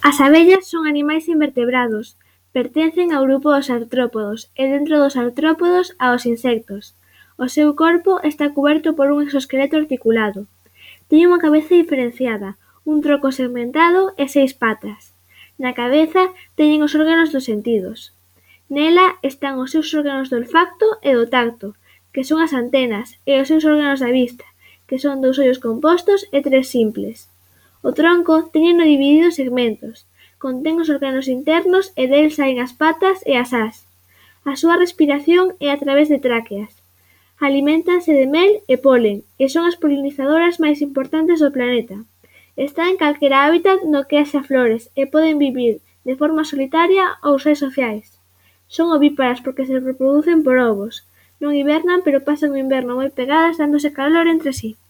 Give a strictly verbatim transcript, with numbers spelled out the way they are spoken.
As abellas son animais invertebrados, pertencen ao grupo dos artrópodos e dentro dos artrópodos aos insectos. O seu corpo está cuberto por un exoesqueleto articulado. Teñen unha cabeza diferenciada, un tronco segmentado e seis patas. Na cabeza teñen os órganos dos sentidos. Nela están os seus órganos do olfacto e do tacto, que son as antenas, e os seus órganos da vista, que son dous ollos compostos e tres simples. O tronco téñeno dividido en segmentos, contén os órganos internos e del saen as patas e as ás. A súa respiración é a través de tráqueas. Aliméntanse de mel e polen e son as polinizadoras máis importantes do planeta. Están en calquera hábitat no que haxa flores e poden vivir de forma solitaria ou ser sociais. Son ovíparas porque se reproducen por ovos. Non hibernan pero pasan o inverno moi pegadas dándose calor entre si.